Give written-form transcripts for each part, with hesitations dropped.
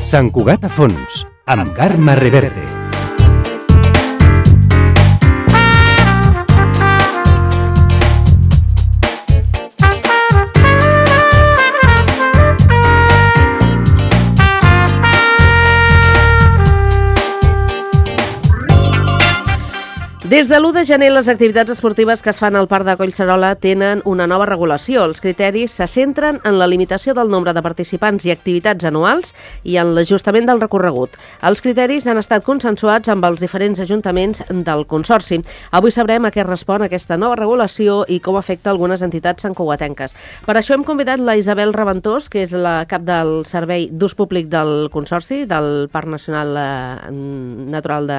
Sant Cugat a fons, amb Carme Reverte. Des de l'1 de gener, les activitats esportives que es fan al Parc de Collserola tenen una nova regulació. Els criteris se centren en la limitació del nombre de participants i activitats anuals i en l'ajustament del recorregut. Els criteris han estat consensuats amb els diferents ajuntaments del Consorci. Avui sabrem a què respon aquesta nova regulació i com afecta algunes entitats santcugatenques. Per això hem convidat la Isabel Reventós, que és la cap del Servei d'Ús Públic del Consorci, del Parc Nacional Natural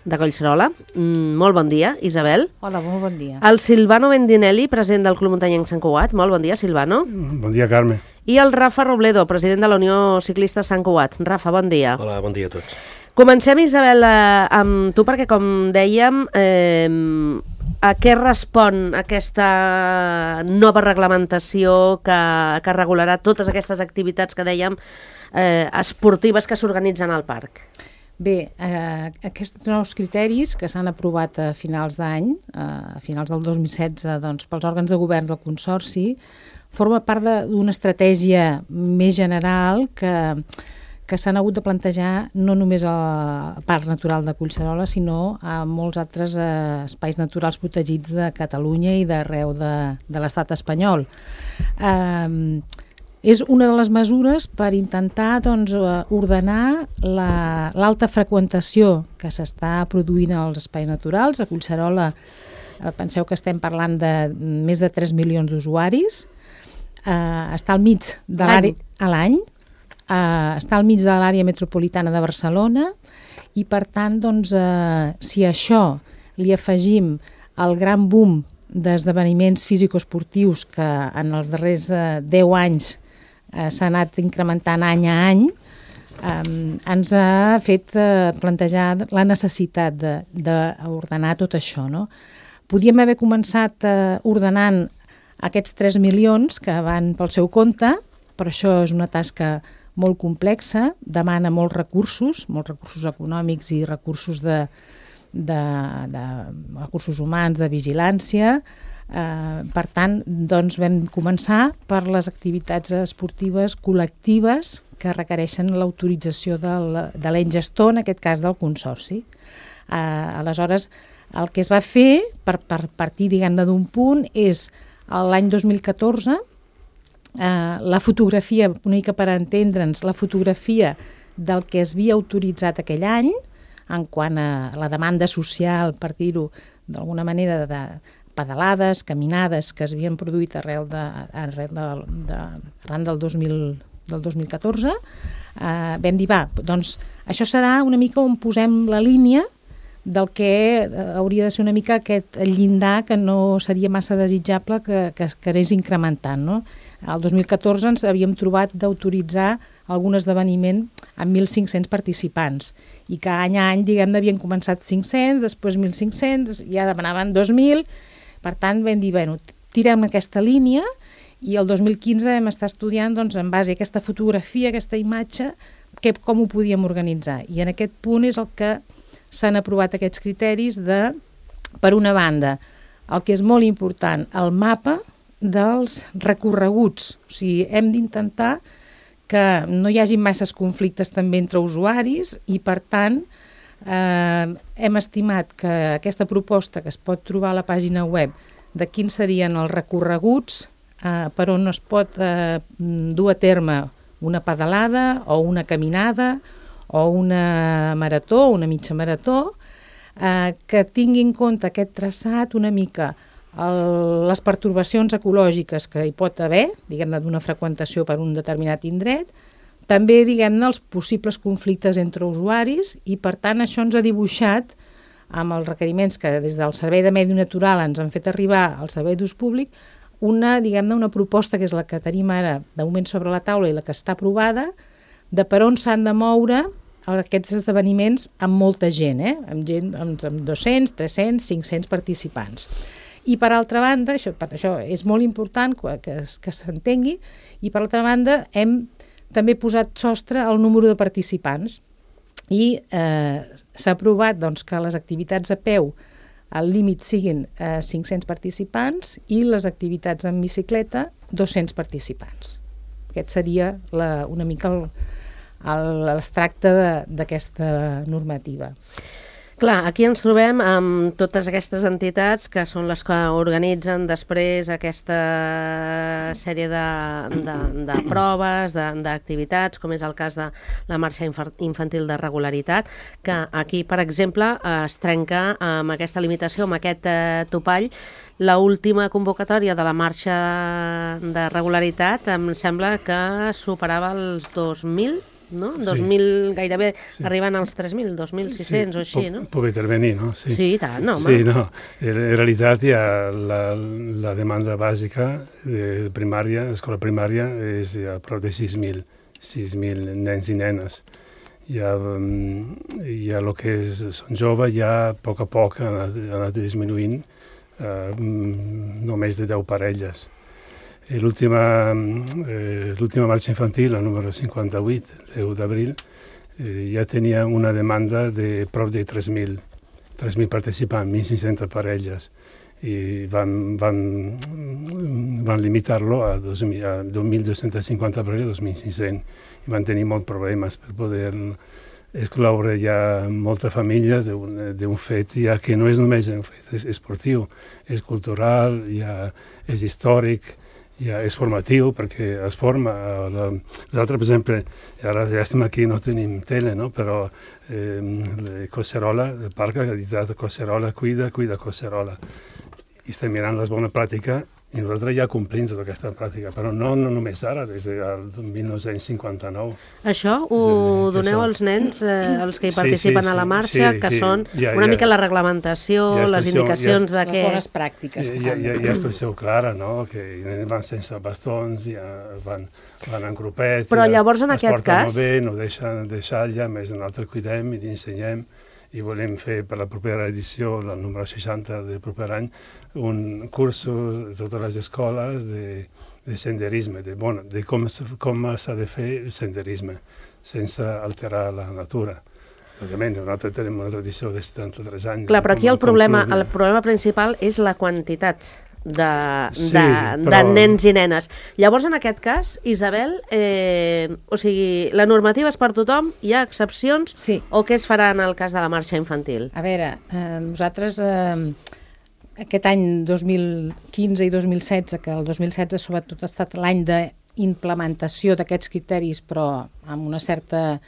de Collserola. Molt bon dia, Isabel. Hola, molt bon dia. El Silvano Bendinelli, president del Club Muntanyenc Sant Cugat. Molt bon dia, Silvano. Bon dia, Carme. I el Rafa Robledo, president de la Unió Ciclista Sant Cugat. Rafa, bon dia. Hola, bon dia a tots. Comencem, Isabel, amb tu, perquè, com dèiem, a què respon aquesta nova reglamentació que regularà totes aquestes activitats que dèiem esportives que s'organitzen al parc? Bé, aquests nous criteris que s'han aprovat a finals d'any, a finals del 2016, doncs, pels òrgans de govern del Consorci, forma part d'una estratègia més general que s'han hagut de plantejar no només al Parc Natural de Collserola, sinó a molts altres espais naturals protegits de Catalunya i d'arreu de l'estat espanyol. És una de les mesures per intentar ordenar l'alta freqüentació que s'està produint als espais naturals. A Collserola penseu que estem parlant de més de 3 milions d'usuaris. Està al mig de l'any, està al mig de l'àrea metropolitana de Barcelona i, per tant, si a això li afegim el gran boom d'esdeveniments físico-esportius que en els darrers 10 anys s'ha anat incrementant any a any, ens ha fet plantejar la necessitat d'ordenar tot això, no? Podíem haver començat ordenant aquests 3 milions que van pel seu compte, però això és una tasca molt complexa, demana molts recursos econòmics i recursos recursos humans, de vigilància. Per tant, vam començar per les activitats esportives col·lectives que requereixen l'autorització de l'ens gestor, en aquest cas del Consorci. Aleshores, el que es va fer, per partir d'un punt, és l'any 2014, la fotografia, una mica per entendre'ns, la fotografia del que es havia autoritzat aquell any, en quant a la demanda social, per dir-ho d'alguna manera, de pedalades, caminades que s'havien produït arran del 2014, vam dir, doncs això serà una mica on posem la línia del que hauria de ser una mica aquest llindar que no seria massa desitjable que anés incrementant, no? El 2014 ens havíem trobat d'autoritzar algun esdeveniment amb 1.500 participants i que any a any, havien començat 500, després 1.500, ja demanaven 2.000. Per tant, vam dir, tirem aquesta línia i el 2015 vam estar estudiant, en base a aquesta fotografia, aquesta imatge, com ho podíem organitzar. I en aquest punt és el que s'han aprovat aquests criteris de, per una banda, el que és molt important, el mapa dels recorreguts. O sigui, hem d'intentar que no hi hagi masses conflictes també entre usuaris i, per tant, hem estimat que aquesta proposta que es pot trobar a la pàgina web de quins serien els recorreguts per on es pot dur a terme una pedalada o una caminada o una marató, una mitja marató, que tingui en compte aquest traçat una mica les pertorbacions ecològiques que hi pot haver, d'una freqüentació per un determinat indret, també, els possibles conflictes entre usuaris i, per tant, això ens ha dibuixat, amb els requeriments que des del Servei de Medi Natural ens han fet arribar al Servei d'Ús Públic, una proposta que és la que tenim ara de moment sobre la taula i la que està aprovada, de per on s'han de moure aquests esdeveniments amb molta gent, amb 200, 300, 500 participants. I, per altra banda, això és molt important que s'entengui, i, per altra banda, hem també posat sostre al número de participants i s'ha aprovat doncs, que les activitats a peu el límit siguin 500 participants i les activitats en bicicleta 200 participants. Aquest seria una mica l'extracte d'aquesta normativa. Clar, aquí ens trobem amb totes aquestes entitats que són les que organitzen després aquesta sèrie de proves, d'activitats, com és el cas de la marxa infantil de regularitat, que aquí, per exemple, es trenca amb aquesta limitació, amb aquest topall. L'última convocatòria de la marxa de regularitat em sembla que superava els 2.000, no? 2.000, gairebé arriben als 3.000, 2.600 o així, no? Puc intervenir, no? Sí, i tant, home. Sí, no. En realitat hi ha la demanda bàsica de primària, escola primària, és a prop de 6.000 nens i nenes. Ja el que són joves, ja a poc ha anat disminuint, només de 10 parelles. L'última marxa infantil, la número 58, 10 d'abril, ja tenia una demanda de prop de 3.000 participants, 1.500 parelles, i van limitar-lo a 2.250 parelles, 2.500, i van tenir molts problemes per poder excloure ja moltes famílies d'un fet ja que no és només un fet esportiu, és cultural, ja és històric, ja és formatiu, perquè es forma. Nosaltres, per exemple, ara ja estem aquí, no tenim tele, no? Però Collserola, el parc ha dit Collserola, cuida Collserola. I estem mirant les bones pràctiques i nosaltres ja complim tota aquesta pràctica, però no només ara, des del 1959. Això ho doneu als nens, els que hi participen a la marxa, que són una mica la reglamentació, les indicacions de què... Les bones pràctiques que s'han de fer. Hi ha instrucció clara, no? Que van sense bastons, ja van en grupet, però llavors, en aquest cas... es porten molt bé, no deixen deixar ja, més nosaltres cuidem i ensenyem, i volem fer per la propera edició, la número 60 del proper any, un curs de totes les escoles de senderisme, de com s'ha de fer senderisme, sense alterar la natura. Òbviament, nosaltres tenim una tradició de 73 anys. Clar, però aquí el problema principal és la quantitat de nens i nenes. Llavors, en aquest cas, Isabel, o sigui, la normativa és per tothom, hi ha excepcions, sí. O què es farà en el cas de la marxa infantil? A veure, nosaltres aquest any 2015 i 2016, que el 2016 sobretot ha estat l'any d'implementació d'aquests criteris, però amb una certa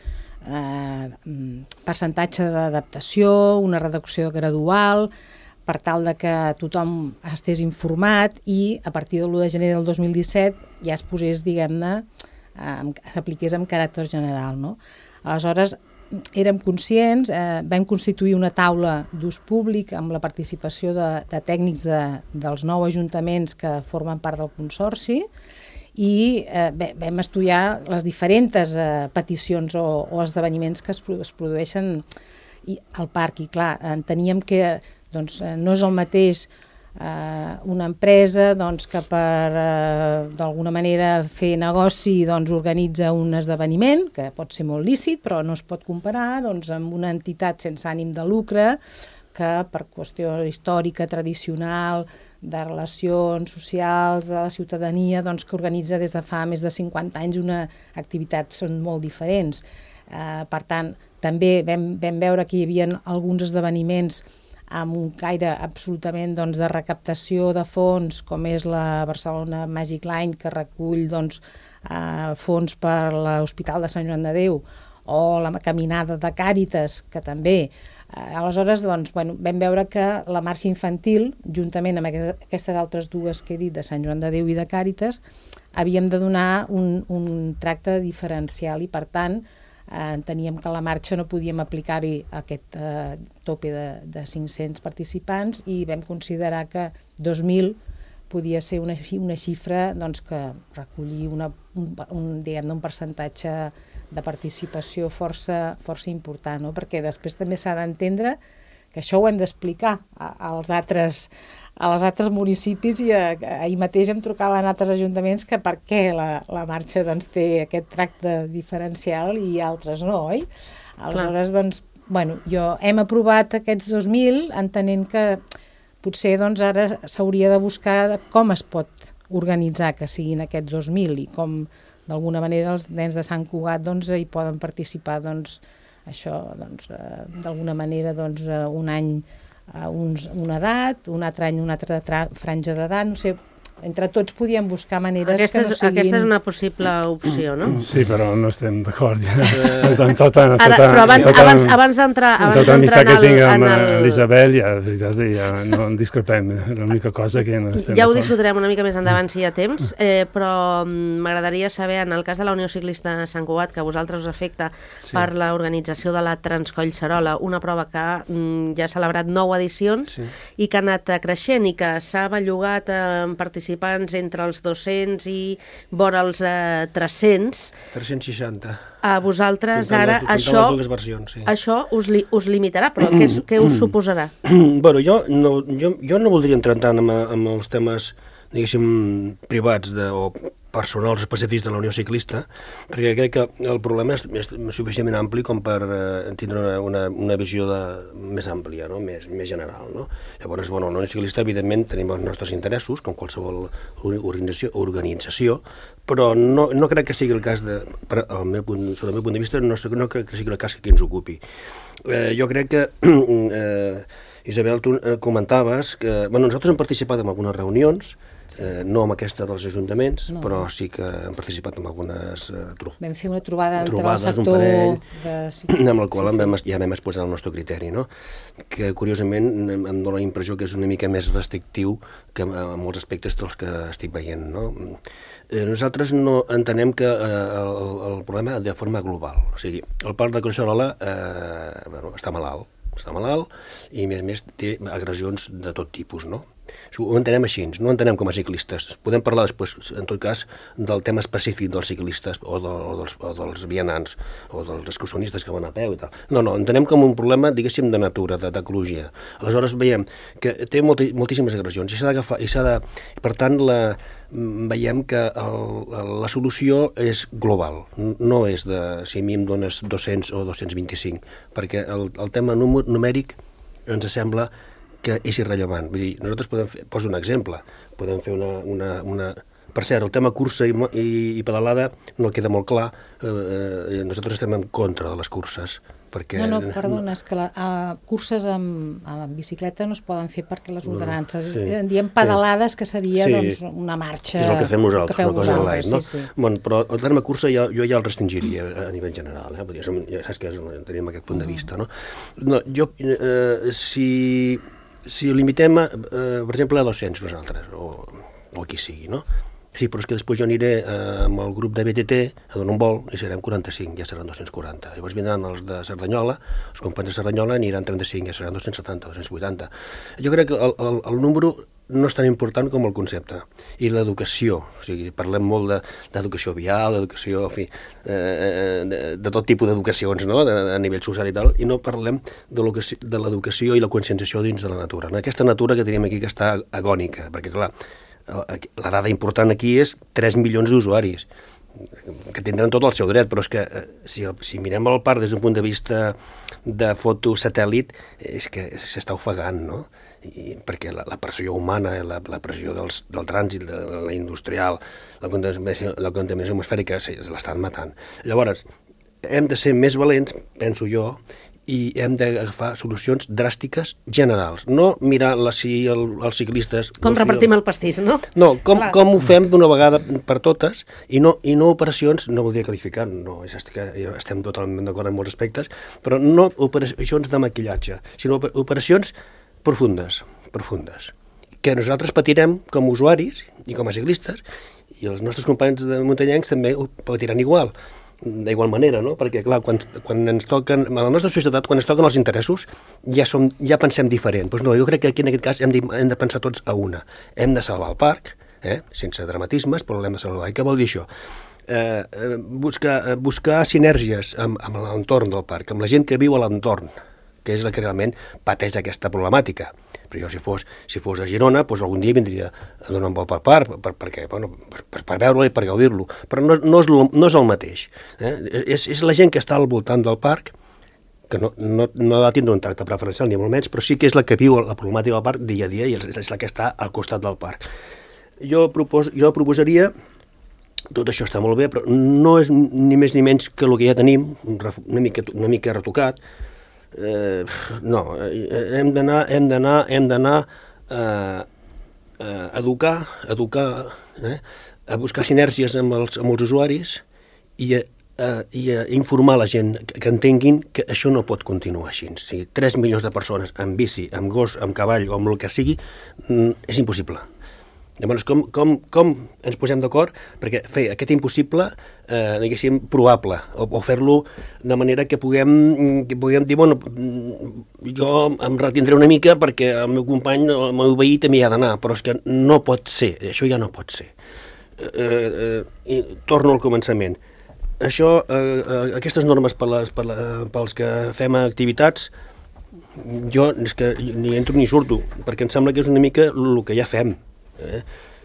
percentatge d'adaptació, una reducció gradual, per tal de que tothom estés informat i a partir de l'1 de gener del 2017 ja es posés, diguem-ne, s'apliqués amb caràcter general, no? Aleshores, érem conscients, vam constituir una taula d'ús públic amb la participació de tècnics dels 9 ajuntaments que formen part del consorci i vam estudiar les diferents peticions o esdeveniments que es produeixen al parc. I clar, enteníem que no és el mateix una empresa que per d'alguna manera fer negoci organitza un esdeveniment, que pot ser molt lícit, però no es pot comparar amb una entitat sense ànim de lucre que per qüestió històrica, tradicional, de relacions socials, de la ciutadania, que organitza des de fa més de 50 anys una activitat, són molt diferents. Per tant, també vam veure que hi havia alguns esdeveniments amb un caire absolutament de recaptació de fons, com és la Barcelona Magic Line, que recull fons per l'Hospital de Sant Joan de Déu, o la caminada de Càritas, que també. Aleshores, vam veure que la marxa infantil, juntament amb aquestes altres dues que he dit, de Sant Joan de Déu i de Càritas, havíem de donar un tracte diferencial i, per tant, enteníem que a la marxa no podíem aplicar-hi aquest tope de 500 participants i vam considerar que 2.000 podia ser una xifra que recollia un percentatge de participació força important, no? Perquè després també s'ha d'entendre que això ho hem d'explicar als altres municipis, i ahir mateix em trucaven altres ajuntaments que per què la marxa doncs, té aquest tracte diferencial i altres no, oi? Aleshores, doncs, bueno, hem aprovat aquests 2.000 entenent que potser doncs, ara s'hauria de buscar com es pot organitzar que siguin aquests 2.000 i com d'alguna manera els nens de Sant Cugat doncs, hi poden participar doncs, això, doncs, d'alguna manera doncs, un any a una edat, un altre any una altra franja d'edat, no sé, entre tots podíem buscar maneres que no siguin... Aquesta és una possible opció, no? Sí, però no estem d'acord. Però abans d'entrar en l'Isabel, ja no en discrepem. L'única cosa que no estem d'acord. Ja ho discutirem una mica més endavant si hi ha temps, però m'agradaria saber, en el cas de la Unió Ciclista Sant Cugat, que a vosaltres us afecta per l'organització de la Transcollserola, una prova que ja ha celebrat 9 edicions i que ha anat creixent i que s'ha bellugat en participants entre els 200 i vora els 300. 360. A vosaltres ara això us limitarà, però què us suposarà? Bueno, jo no voldria entrar tant en els temes, diguéssim, privats o personals específics de la Unió Ciclista, perquè crec que el problema és suficientment ampli com per tindre una visió més àmplia, no? més general. No? Llavors, bueno, la Unió Ciclista, evidentment, tenim els nostres interessos, com qualsevol organització, però no crec que sigui el cas, sota el meu punt de vista, no crec que sigui el cas que ens ocupi. Jo crec que, Isabel, tu comentaves que nosaltres hem participat en algunes reunions, no amb aquesta dels ajuntaments, però sí que hem participat en algunes vam fer una trobada entre el sector amb el qual ja vam exposar el nostre criteri, no? Que curiosament em dóna la impressió que és una mica més restrictiu que en molts aspectes dels que estic veient, no? Nosaltres no entenem que el problema de forma global, o sigui, el parc de Collserola està malalt i a més té agressions de tot tipus, no? Ho entenem així, no entenem com a ciclistes. Podem parlar després, en tot cas, del tema específic dels ciclistes o dels vianants o dels excursionistes que van a peu i tal. No, entenem com un problema, diguéssim, de natura, d'ecologia. Aleshores veiem que té moltíssimes agressions i s'ha d'agafar, per tant, veiem que la solució és global, no és de si a mi em dones 200 o 225, perquè el tema numèric ens sembla que és irrellevant. Vull dir, nosaltres poso un exemple, podem fer una... Per cert, el tema cursa i pedalada no queda molt clar, nosaltres estem en contra de les curses, perquè... No, perdona, és que curses amb bicicleta no es poden fer perquè les ordenances, en diem pedalades, que seria doncs, una marxa... És el que fem nosaltres, una cosa online, no? Sí. Bueno, però el terme cursa jo ja el restringiria a nivell general, ja saps que tenim aquest punt de vista, no? Si limitem, per exemple, a 200 nosaltres, o qui sigui, no? Sí, però és que després jo aniré amb el grup de BTT a donar un vol i serem 45, ja seran 240. Llavors vindran els de Cerdanyola, els companys de Cerdanyola aniran 35, ja seran 270, 280. Jo crec que el número no és tan important com el concepte. I l'educació, o sigui, parlem molt d'educació vial, d'educació, en fi, de tot tipus d'educacions, no?, a nivell social i tal, i no parlem de l'educació i la conscienciació dins de la natura. Aquesta natura que tenim aquí que està agònica, perquè, clar, la dada important aquí és 3 milions d'usuaris, que tindran tot el seu dret, però és que si mirem el parc des d'un punt de vista de fotosatèl·lit, és que s'està ofegant, no? Perquè la pressió humana, la pressió del trànsit, de la industrial, la contaminació atmosfèrica, l'estan matant. Llavors, hem de ser més valents, penso jo, i hem d'agafar solucions dràstiques generals. No mirar si els ciclistes... Com repartim el pastís, no? No, com ho fem d'una vegada per totes, i no operacions, no voldria qualificar, no, estem totalment d'acord en molts aspectes, però no operacions de maquillatge, sinó operacions profundes, que nosaltres patirem com a usuaris i com a ciclistes, i els nostres companys de muntanyencs també ho patiran d'igual manera, no? Perquè, clar, quan ens toquen, a la nostra societat, quan ens toquen els interessos, ja pensem diferent. Doncs no, jo crec que aquí en aquest cas hem de pensar tots a una. Hem de salvar el parc, sense dramatismes, però l'hem de salvar. I què vol dir això? Buscar sinergies amb l'entorn del parc, amb la gent que viu a l'entorn, que és la que realment pateix aquesta problemàtica. Però jo, si fos a Girona, doncs algun dia vindria a donar un vol per parc, per veure-lo i per gaudir-lo. Però no és el mateix. És la gent que està al voltant del parc, que no ha de tindre un tracte preferencial, ni molt menys, però sí que és la que viu la problemàtica del parc dia a dia i és la que està al costat del parc. Jo proposaria, tot això està molt bé, però no és ni més ni menys que el que ja tenim, una mica retocat. No, hem d'anar a educar, a buscar sinergies amb els usuaris i a informar la gent que entenguin que això no pot continuar així. O sigui, 3 milions de persones amb bici, amb gos, amb cavall o amb el que sigui, és impossible. Llavors, com ens posem d'acord perquè fer aquest impossible, diguéssim, probable, o fer-lo de manera que puguem dir, bueno, jo em retindré una mica perquè el meu company, el meu veí també hi ha d'anar, però és que no pot ser, això ja no pot ser. I torno al començament. Això, aquestes normes pels que fem activitats, jo és que ni entro ni surto, perquè em sembla que és una mica el que ja fem.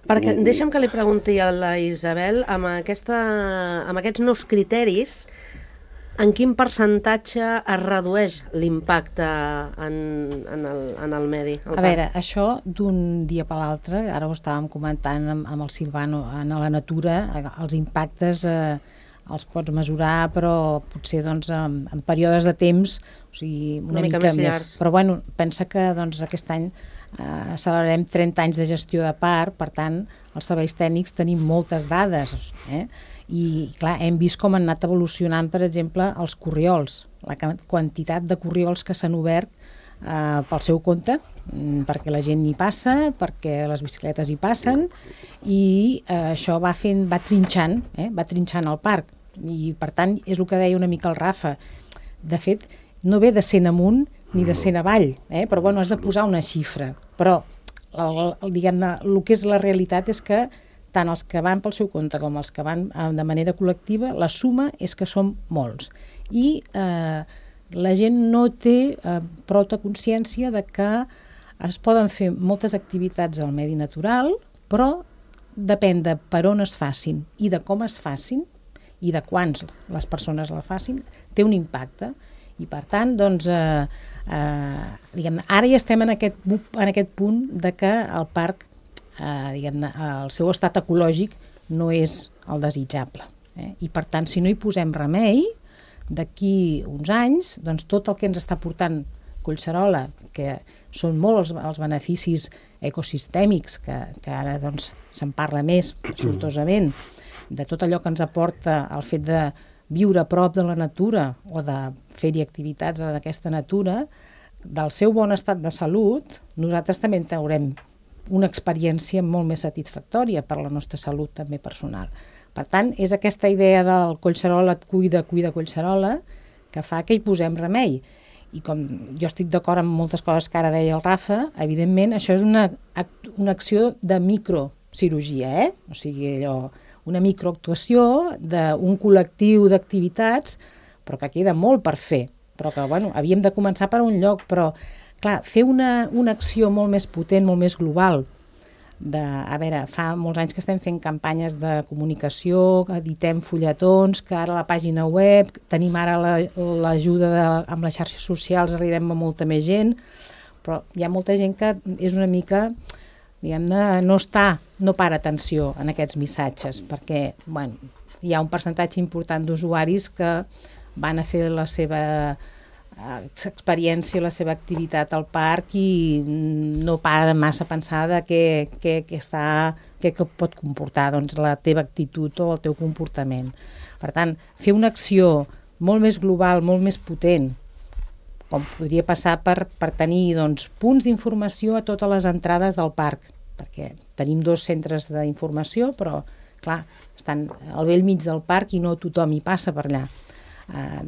Perquè deixa'm que li pregunti a la Isabel, amb aquests nous criteris, en quin percentatge es redueix l'impacte en el medi? A veure, això d'un dia per l'altre, ara ho estàvem comentant amb el Silvano, en la natura, els impactes els pots mesurar, però potser doncs, en períodes de temps, o sigui, una mica més llargs. Però bueno, pensa que doncs, aquest any celebrarem 30 anys de gestió de parc, per tant, els serveis tècnics tenim moltes dades, i clar, hem vist com han anat evolucionant, per exemple, els corriols, la quantitat de corriols que s'han obert pel seu compte, perquè la gent hi passa, perquè les bicicletes hi passen, i això va trinxant el parc, i per tant és el que deia una mica el Rafa. De fet, no ve de 100 amunt ni de 100 avall, però bueno, has de posar una xifra, però diguem-ne, el que és la realitat és que tant els que van pel seu compte com els que van de manera col·lectiva, la suma és que som molts, i la gent no té prou consciència de que es poden fer moltes activitats al medi natural, però depèn de per on es facin i de com es facin i de quants les persones la facin, té un impacte. I per tant, doncs, diguem-ne, ara ja estem en aquest punt de que el parc, diguem-ne, el seu estat ecològic no és el desitjable. I per tant, si no hi posem remei, d'aquí uns anys, doncs tot el que ens està portant Collserola, que són molts els beneficis ecosistèmics, que ara doncs, se'n parla més, sortosament, de tot allò que ens aporta el fet de viure a prop de la natura o de fer-hi activitats en aquesta natura, del seu bon estat de salut, nosaltres també en traurem una experiència molt més satisfactòria per la nostra salut també personal. Per tant, és aquesta idea del Collserola et cuida Collserola que fa que hi posem remei. I com jo estic d'acord amb moltes coses que ara deia el Rafa, evidentment això és una acció de microcirurgia, o sigui, allò, una microactuació d'un col·lectiu d'activitats, però que queda molt per fer. Però que, bueno, havíem de començar per un lloc, però, clar, fer una acció molt més potent, molt més global. A veure, fa molts anys que estem fent campanyes de comunicació, editem fulletons, que ara a la pàgina web, tenim ara l'ajuda amb les xarxes socials, arribem a molta més gent, però hi ha molta gent que és una mica, diguem-ne, no para atenció en aquests missatges, perquè, bueno, hi ha un percentatge important d'usuaris que van a fer la seva experiència, la seva activitat al parc i no paren massa a pensar de què pot comportar doncs, la teva actitud o el teu comportament. Per tant, fer una acció molt més global, molt més potent, com podria passar per tenir doncs, punts d'informació a totes les entrades del parc, perquè tenim 2 centres d'informació, però, clar, estan al bell mig del parc i no tothom hi passa per allà.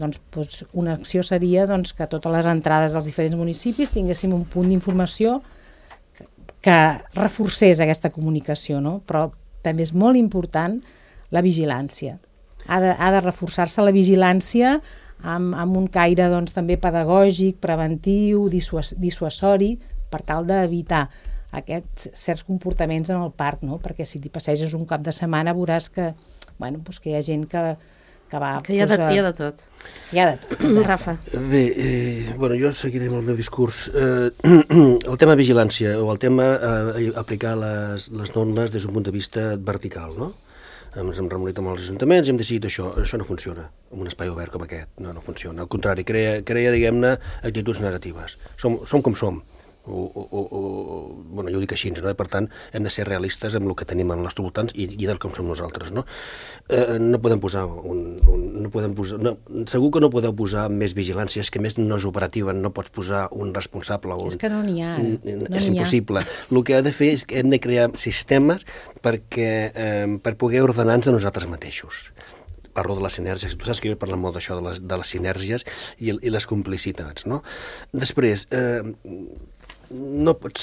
Doncs una acció seria doncs, que a totes les entrades dels diferents municipis tinguéssim un punt d'informació que reforcés aquesta comunicació, no? Però també és molt important la vigilància. Ha de reforçar-se la vigilància amb un caire doncs, també pedagògic, preventiu, dissuasori, per tal d'evitar aquests certs comportaments en el parc, no? Perquè si t'hi passeges un cap de setmana veuràs que, bueno, doncs que hi ha gent que va... Que hi ha de tot. Hi ha de tot. Rafa. Bé, bueno, jo seguiré amb el meu discurs. El tema vigilància o el tema aplicar les normes des d'un punt de vista vertical, no? Ens hem reunit amb els ajuntaments i hem decidit això no funciona en un espai obert com aquest, no funciona. Al contrari, crea diguem-ne, actituds negatives. Som com som. Bueno, jo ho dic així, no? Per tant, hem de ser realistes amb el que tenim als nostres voltants i del com som nosaltres, no? No podem posar segur que no podeu posar més vigilància, és que més no és operativa, no pots posar un responsable. És que no n'hi ha. És impossible. El que ha de fer és que hem de crear sistemes per poder ordenar-nos a nosaltres mateixos. Parlo de les sinergies, tu saps que jo he parlat molt d'això, de les sinergies i les complicitats, no? Després, no pot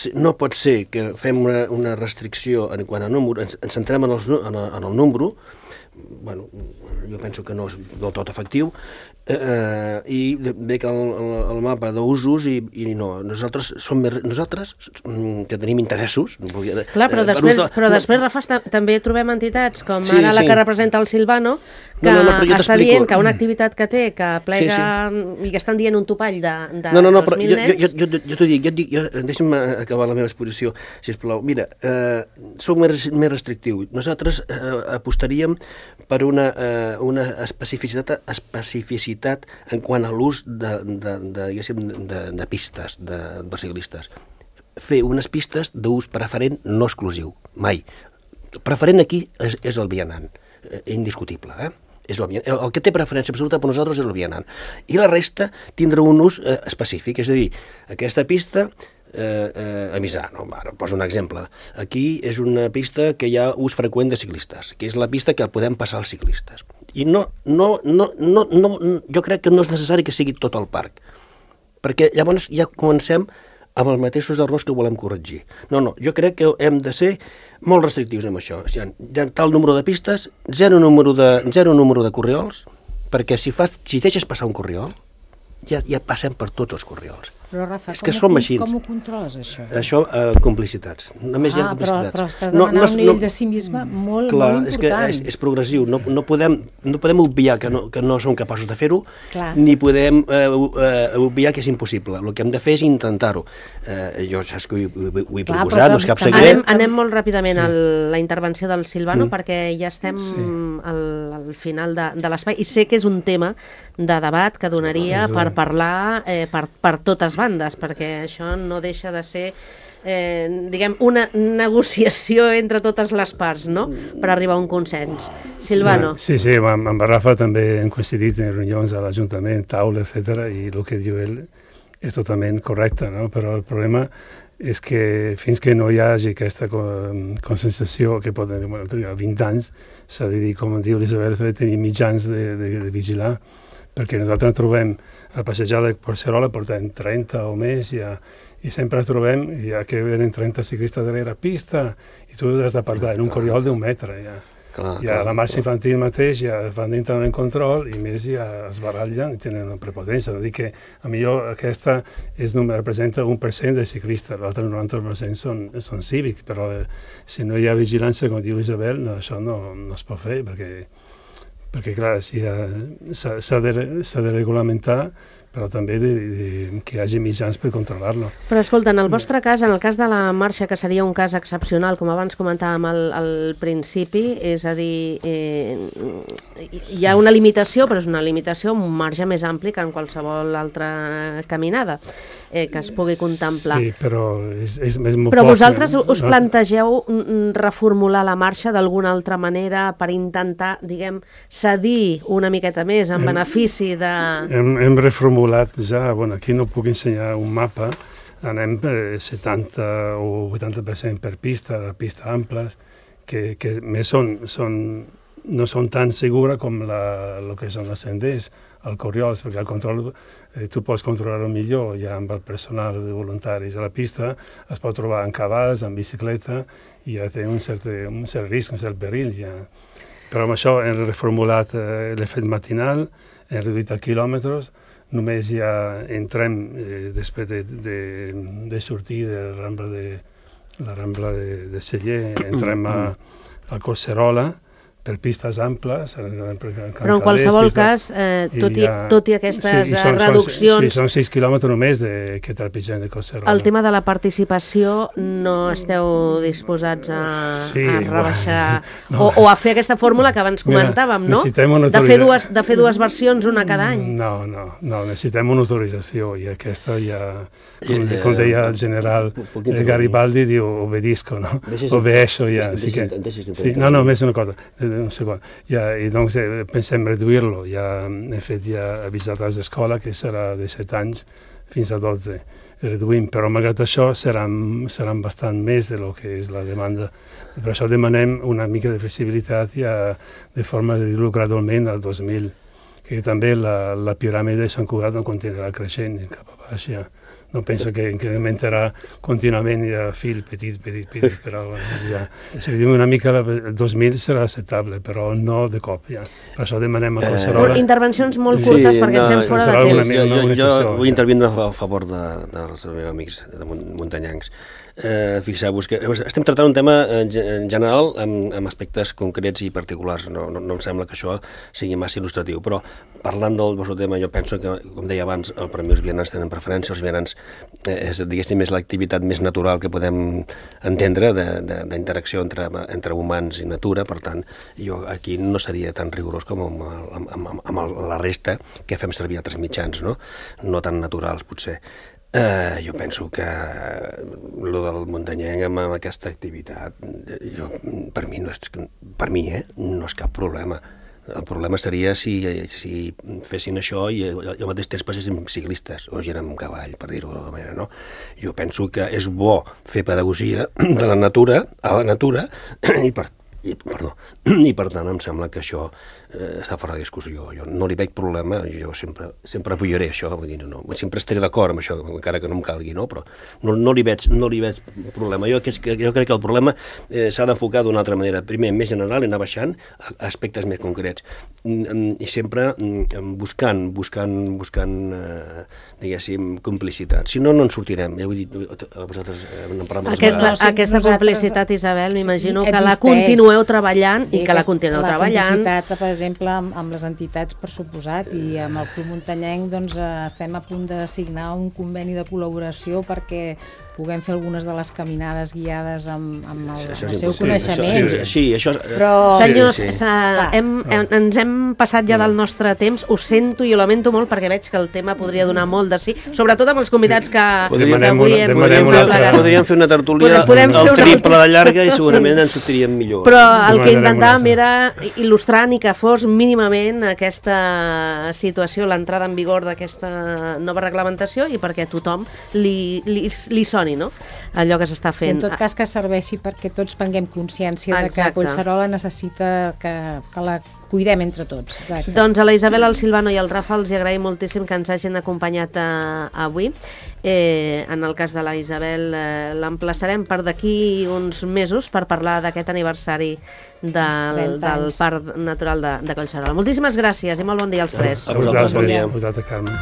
ser que fem una restricció en quant a número, ens centrem en el número, bueno, jo penso que no és del tot efectiu, i ve que el mapa d'usos i no, nosaltres que tenim interessos... Clar, però després, Rafa, també trobem entitats com ara la que representa el Silvano, que està dient que una activitat que té, que plega, i que estan dient un topall de 2.000 nens... Jo t'ho dic, deixa'm acabar la meva exposició, sisplau. Mira, soc més restrictiu. Nosaltres apostaríem per una especificitat en quant a l'ús de pistes de ciclistes. Fer unes pistes d'ús preferent no exclusiu, mai. Preferent aquí és el vianant, indiscutible, el que té preferència absoluta per nosaltres és el vianant. I la resta tindrà un ús específic, és a dir, aquesta pista a Misà, no? Ara poso un exemple. Aquí és una pista que hi ha ús freqüent de ciclistes, que és la pista que podem passar als ciclistes. I jo crec que no és necessari que sigui tot el parc, perquè llavors ja comencem amb els mateixos errors que volem corregir. No, jo crec que hem de ser molt restrictius amb això. Hi ha tal número de pistes, zero número de corriols, perquè si deixes passar un corriol, ja passem per tots els corriols. Però, Rafa, com ho controles, això? Això, complicitats. Només hi ha complicitats. Però estàs demanant un nivell de civisme molt important. Clar, és que és progressiu. No podem obviar que no som capaços de fer-ho, ni podem obviar que és impossible. El que hem de fer és intentar-ho. Jo saps que ho he proposat, no és cap secret. Anem molt ràpidament a la intervenció del Silvano, perquè ja estem al final de l'espai, i sé que és un tema de debat que donaria per parlar per totes bandes, perquè això no deixa de ser diguem, una negociació entre totes les parts, no?, per arribar a un consens. Silvano. Sí, amb Rafa també hem coincidit en reunions a l'Ajuntament, taula, etc., i el que diu ell és totalment correcte, no? Però el problema és que fins que no hi hagi aquesta consensació que pot tenir 20 anys, s'ha de dir, com diu l'Isabel, s'ha de tenir mitjans de vigilar, perquè nosaltres trobem a passejar de Collserola, portem 30 o més, i sempre trobem que venen 30 ciclistes darrere pista, i tu has d'apartar en un corriol d'1 metre. A la marxa infantil mateix ja van entrar en control, i més ja es barallen i tenen una prepotència. Vull dir que potser aquesta representa 1% de ciclistes, l'altre 90% són cívics, però si no hi ha vigilància, com diu Isabel, això no es pot fer, perquè clar, s'ha de regulamentar, però també que hi hagi mitjans per controlar-lo. Però escolta, en el vostre cas, en el cas de la marxa, que seria un cas excepcional, com abans comentàvem al principi, és a dir, hi ha una limitació, però és una limitació amb un marge més ampli que en qualsevol altra caminada que es pugui contemplar. Sí, però és molt Però vosaltres us plantegeu reformular la marxa d'alguna altra manera per intentar, diguem, cedir una miqueta més en benefici de... Hem reformulat ja, aquí no puc ensenyar un mapa, anem 70 o 80% per pistes amples, que més no són tan segures com el que són els senders, el corriols, perquè el control tu pots controlar-ho millor ja amb el personal de voluntaris a la pista, es pot trobar en cavalls, en bicicleta, i ja té un cert risc, un cert perill ja. Però amb això hem reformulat l'efecte matinal, hem reduït a quilòmetres, només ja entrem, després de sortir de la Rambla de Celler, entrem a Collserola, per pistes amples. Però en qualsevol cas, tot i aquestes reduccions... Sí, són 6 quilòmetres només que trepitgem de Collserola. El tema de la participació no esteu disposats a rebaixar o a fer aquesta fórmula que abans comentàvem, no? De fer dues versions, una cada any. No, necessitem una autorització i aquesta ja, com deia el general Garibaldi, diu obedisco, no? Obedeixo ja. No, més una cosa. Un segon. I doncs pensem reduir-lo. Ja hem fet avisat a l'escola que serà de 7 anys fins a 12. Reduïm, però malgrat això seran bastant més del que és la demanda. Per això demanem una mica de flexibilitat de forma de dir-lo gradualment al 2000, que també la piràmide de Sant Cugat no continuarà creixent cap a baix ja. No penso que incrementarà contínuament fil petit, però ja. Si diem una mica, el 2000 serà acceptable, però no de cop, ja. Per això demanem a Collserola... Intervencions molt curtes perquè estem fora de temps. Jo vull intervindre a favor dels meus amics muntanyencs. Fixeu-vos que estem tractant un tema en general amb aspectes concrets i particulars. No em sembla que això sigui massa il·lustratiu, però parlant del vostre tema, jo penso que, com deia abans, per mi els vianants tenen preferència. Els vianants és, diguéssim, l'activitat més natural que podem entendre d'interacció entre humans i natura. Per tant, jo aquí no seria tan rigorós com amb la resta que fem servir altres mitjans, no tan naturals, potser. Jo penso que el del muntanyenc amb aquesta activitat per mi no és cap problema. El problema seria si fessin això i al mateix temps passessin ciclistes o gent amb cavall, per dir-ho d'alguna manera, no? Jo penso que és bo fer pedagogia de la natura a la natura i per tant em sembla que això està fora de discussió. Jo no li veig problema, jo sempre apoyaré això, vull dir, sempre estaré d'acord amb això, encara que no em calgui, no? Però no li veig problema. Jo crec que el problema s'ha d'enfocar d'una altra manera. Primer, més general, i anar baixant a aspectes més concrets. I sempre buscant diguéssim, complicitat. Si no, no en sortirem. Ja ho he dit, vosaltres n'hem parlat. Aquesta complicitat, Isabel, m'imagino que la continueu treballant i que la continueu treballant. La complicitat, per exemple, amb les entitats, per suposat, i amb el Club Muntanyenc estem a punt de signar un conveni de col·laboració perquè puguem fer algunes de les caminades guiades amb el seu coneixement. Sí, això... Però, senyors, ens hem passat ja del nostre temps. Ho sento i ho lamento molt perquè veig que el tema podria donar molt de sí, sobretot amb els convidats que avui podríem fer una tertúlia al triple de llarga i segurament ens sortiríem millor. Però el que intentàvem era il·lustrant i que fos mínimament aquesta situació, l'entrada en vigor d'aquesta nova reglamentació i perquè a tothom li soni, no? Allò que s'està fent. Sí, en tot cas que serveixi perquè tots prenguem consciència de que Collserola necessita que la cuidem entre tots. Exacte. Doncs a la Isabel, al Silvano i al Rafa els agraïm moltíssim que ens hagin acompanyat avui. En el cas de la Isabel l'emplaçarem per d'aquí uns mesos per parlar d'aquest aniversari del Parc Natural de Collserola. Moltíssimes gràcies i molt bon dia als tres. A vosaltres, Carme.